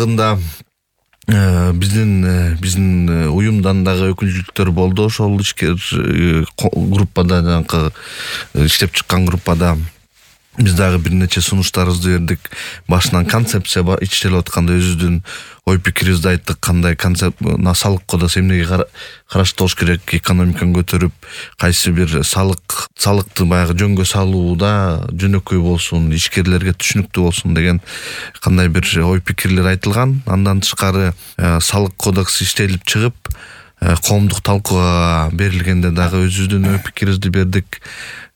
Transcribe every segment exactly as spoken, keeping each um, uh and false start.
Акыркыда биздин биздин уюмдан дагы өкүлчүлүктөр болду. Ошол ишкер группада, жанакы иштеп чыккан группада биз дагы бир нече сунуштарыбызды бердик. Башынан концепция иштелип атканда өзүбүздүн ой пикирибизди айттык. Кандай концепт салык кодексин эмнеге караштырыш керек, экономиканы көтөрүп, кайсы бир салык салыкты баягы жөнгө салууда жөнөкөй болсун, ишкерлерге түшүнүктүү болсун деген кандай бир ой пикирлер айтылган. Андан тышкары салык кодекси иштелип чыгып, коомдук талкууга берилгенде дагы өзүбүздүн ой пикирибизди бердик.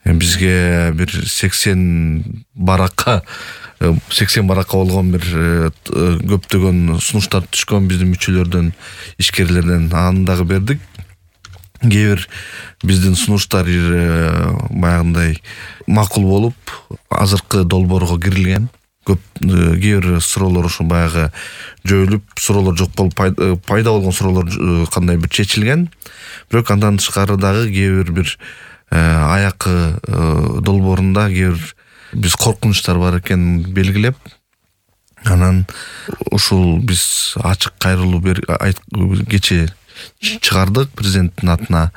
Бизге бир сексен баракка сексен баракка болгон бир көптөгөн сунуштар түшкөн биздин мүчөлөрдөн, ишкерлерден. Аны дагы бердик. Кээ бир биздин сунуштар баягындай макул болуп, азыркы долбоорго кирилген. Көп кээ бир суроолор ошо баягы жоюлуп, суроолор жок болуп, пайда болгон суроолор кандай бир чечилген. Бирок андан тышкары дагы кээ бир бир аякы долбоорунда кээ бир биз коркунучтар бар экенин белгилеп, анан ушул биз ачык кайрылуу кечээ чыгардык президенттин атына.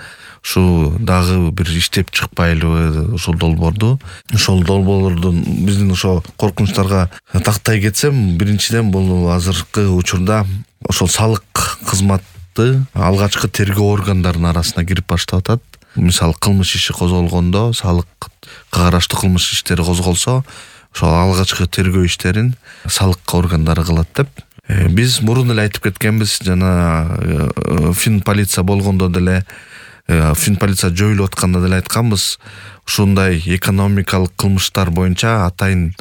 Ушу дагы бир иштеп чыкпайлыбы ушул долбоорду. Ошол долбоорлордун биздин ошо коркунучтарга тактай кетсем, биринчиден бул азыркы учурда ошол салык кызматы алгачкы тергөө органдарынын арасына кирип баштап атат. Мисалы, кылмыш иши козголгондо, салыкка караштуу кылмыш иштери козголсо, ошол алгачкы тергөө иштерин салык органдары кылат деп. Биз мурун эле айтып кеткенбиз, жана фин полиция болгондо деле, фин полиция жоюлуп атканда деле айтканбыз, ушундай экономикалык кылмыштар боюнча атайын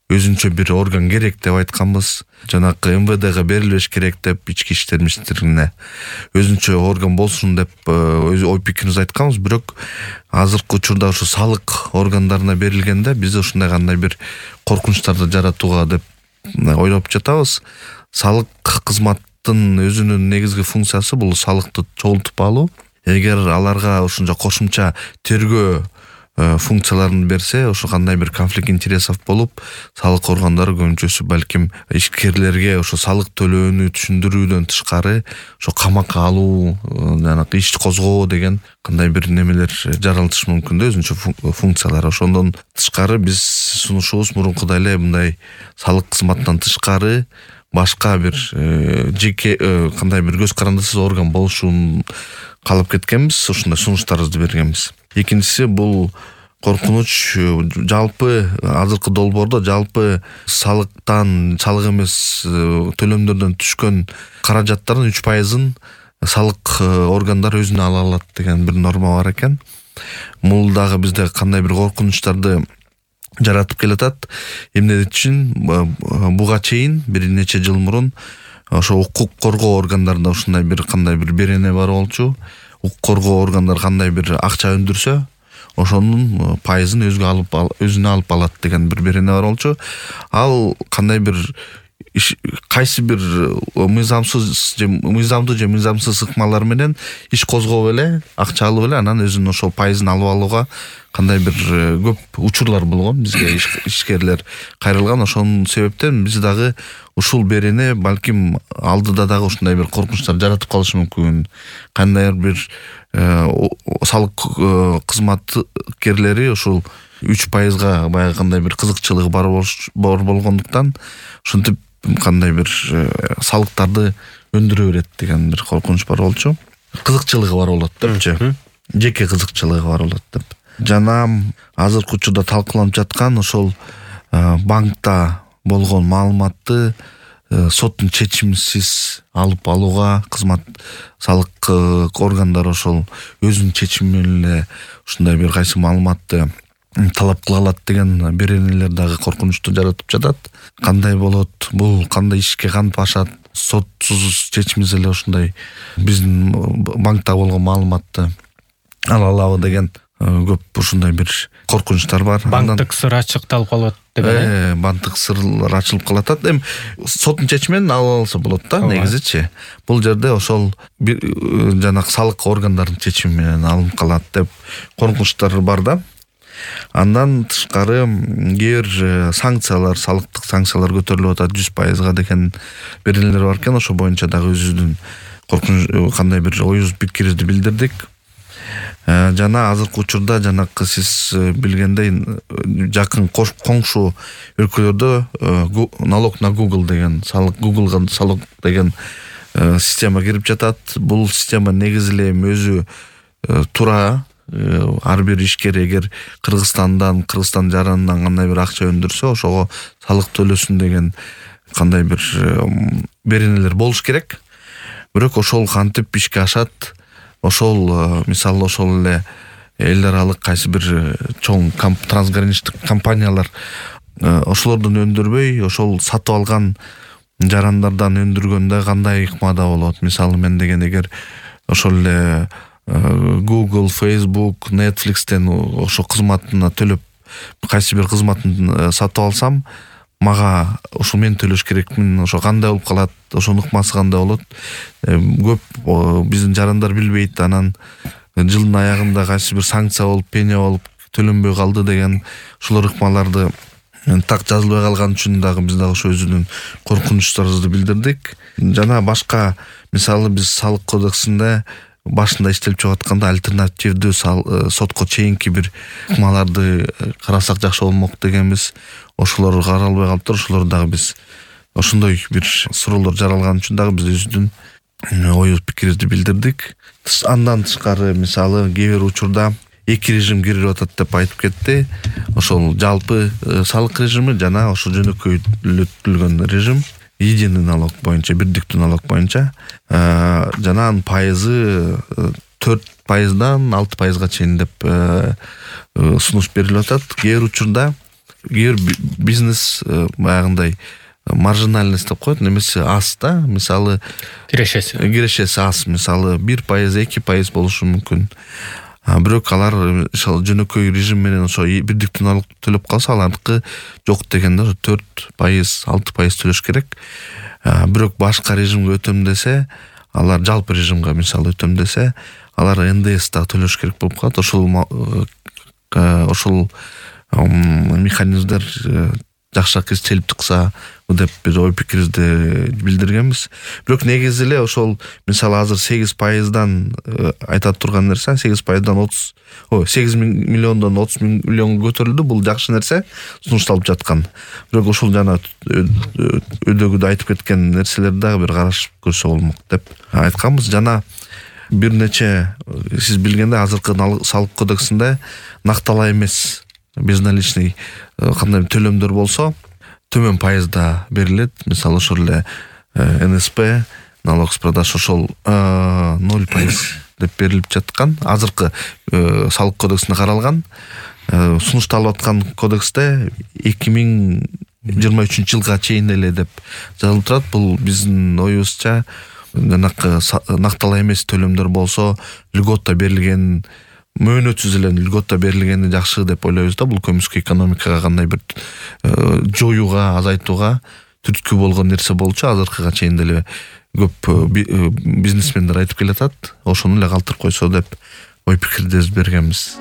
өзүнчө бир орган керек деп айтканбыз. Жанакы эм вэ дэге берилбеш керек деп, ички иштер министрлигине өзүнчө орган болсун деп өз ой пикирибизди айтканбыз. Бирок азыркы учурда ушу салык органдарына берилгенде биз ушундай кандай бир коркунучтарды жаратууга деп ойлоп жатабыз. Салык кызматтын өзүнүн негизги функциясы бул салыкты чогултуп алуу. Эгер аларга ушунча кошумча тергөө функцияларын берсе, ошо кандай бир конфликт интересов болуп, салык органдары көбүнчөсү балким ишкерлерге ошо салык төлөөнү түшүндүрүүдөн тышкары ошо камакка алуу, жанагы иш козгоо деген кандай бир немелер жаралышы мүмкүн да, өзүнчө функциялар. Ошондон тышкары биз сунушубуз мурункудай эле мындай салык кызматтан тышкары башка бир жеке кандай бир көз карандысыз орган болушун каалап кеткенбиз, ушундай сунуштарыбызды бергенбиз. Экинчиси бул коркунуч жалпы азыркы долбоордо жалпы салыктан, салык эмес төлөмдөрдөн түшкөн каражаттардын үч пайызын салык органдары өзүнө ала алат деген бир норма бар экен. Бул дагы бизде кандай бир коркунучтарды жаратып келатат. Эмне үчүн буга чейин бир нече жыл мурун ошо укук коргоо органдарында ушундай бир кандай бир берене бар болчу. Укук коргоо органдары кандай бир акча өндүрсө, ошонун пайызын өзгө алып өзүнө алып алат деген бир берене бар болчу. Ал кандай бир кайсы бир мыйзамсыз же мыйзамдуу же мыйзамсыз ыкмалар менен иш козгоп эле, акча алып эле, анан өзүнүн ошол пайызын алып алууга кандай бир көп учурлар болгон. Бизге ишкерлер кайрылган. Ошонун себептен биз дагы ушул берене балким алдыда дагы ушундай бир коркунучтар жаратып калышы мүмкүн. Кандай бир салык кызматкерлери ушул үч пайызга баягы кандай бир кызыкчылыгы бар болгондуктан ушинтип кандай бир салыктарды өндүрө берет деген бир коркунуч бар болчу. Кызыкчылыгы бар болот депчи. Жеке кызыкчылыгы бар болот деп. Жана азыркы учурда талкууланып жаткан ошол банкта болгон маалыматты соттун чечимисиз алып алууга кызмат салык органдары ошол өзүнүн чечими менен эле ушундай бир кайсы маалыматты талап кыла алат деген беренелер дагы коркунучту жаратып жатат. Кандай болот, бул кандай ишке кантип ашат, сотсуз чечимиз эле ушундай биздин банкта болгон маалыматты ала алабы деген көп ушундай бир коркунучтар бар. Банктык сыр ачыкталып калат деп эле. Э, банктык сырлар ачылып калат. Эми соттун чечиминен ала алса болот да, негизичи. Бул жерде ошол жанагы салык органдарынын чечими менен алынып калат деп коркунучтар бар да. Андан тышкары кээ бир санкциялар, салыктык санкциялар көтөрүлүп атат жүз пайызга деген беренелер бар экен. Ошо боюнча дагы өзүбүздүн коркунуч кандай бир оюбуз пикирибизди билдирдик. Жана азыркы учурда жанакы сиз билгендей жакын коңшу өлкөлөрдө налог на Google деген салык, Googleга салык деген система кирип жатат. Бул система негизи эле өзү тура ар бир ишкер эгер Кыргызстандан, Кыргызстан жаранынан кандай бир акча өндүрсө, ошого салык төлөсүн деген кандай бир беренелер болуш керек. Бирок ошол кантип ишке ашат? Ошол мисалы ошол эле эл аралык кайсы бир чоң трансграничдик компаниялар ошолордон өндүрбөй, ошол сатып алган жарандардан өндүргөндө кандай ыкмада болот? Мисалы мен деген эгер ошол эле Google, Facebook, Netflixтен ошо кызматына төлөп кайсы бир кызматын сатып алсам, мага ошо мен төлөш керекмин. Ошо кандай болуп калат? Ошонун ыкмасы кандай болот? Көп биздин жарандар билбейт. Анан жылдын аягында кайсы бир санкция болуп, пеня болуп төлөнбөй калды деген ошолор ыкмаларды так жазылбай калган үчүн дагы биз дагы ошо өзүнүн коркунучтарыбызды билдирдик. Жана башка мисалы биз салык кодексинде башында иштелип чыгып атканда альтернативдүү сотко чейинки бир ыкмаларды карасак жакшы болмок дегенбиз. Ошолор каралбай калыптыр. Ошолор дагы биз ошондой бир суроолор жаралган үчүн дагы биз өзүбүздүн ой пикирибизди билдирдик. Андан тышкары мисалы кээ бир учурда эки режим кирип атат деп айтып кетти. Ошол жалпы салык режими жана ошо жөнөкөйтүлгөн режим, единый налог боюнча, бирдиктүү налог боюнча, жана анын пайызы төрт пайыздан алты пайызга чейин деп сунуш берилип атат. Кээ бир учурда кээ бир бизнес баягындай маржинальность деп коет, немесе аз да, мисалы кирешеси кирешеси аз, мисалы бир пайыз, эки пайыз болушу мүмкүн. Бирок алар ошол жөнөкөй режим менен ошо бирдиктүү налог төлөп калса, алардыкы жок дегенде төрт пайыз, алты пайыз төлөш керек. Бирок башка режимге өтөм десе, алар жалпы режимге мисалы өтөм десе, алар эн дэ эс да төлөш керек болуп калат. Ошол ошол механизмдер жакшыраак иштелип чыкса деп бир ой пикирибизди билдиргенбиз. Бирок негизи эле ошол мисалы азыр сегиз пайыздан айтат турган нерсе, сегиз пайыздан отуз, ой, сегиз миллиондон отуз миллионго көтөрүлдү. Бул жакшы нерсе, сунушталып жаткан. Бирок ошол жана өйдөгүдө айтып кеткен нерселерди дагы бир карашып көрсө болмок деп айтканбыз. Жана бир нече сиз билгендей азыркы салык кодексинде накталаа эмес безналичный кандай төлөмдөр болсо төмөн пайызда берилет. Мисалы ошол эле эн эс пэ, налог с продаж ошол ноль пайыз деп берилип жаткан. Азыркы салык кодексинде каралган. Сунушталып аткан кодексте эки миң жыйырма үчүнчү жылга чейин эле деп жазылып турат. Бул биздин оюбузча жанакы накталаа эмес төлөмдөр болсо льгота берилген, мөөнөтсүз эле льгота берилгени жакшы деп ойлойбуз да. Бул көмүскө экономикага кандай бир жоюуга, азайтууга түрткү болгон нерсе болчу. Азыркыга чейин деле көп бизнесмендер айтып келатат. Ошону эле калтырып койсо деп ой пикирди бергенбиз.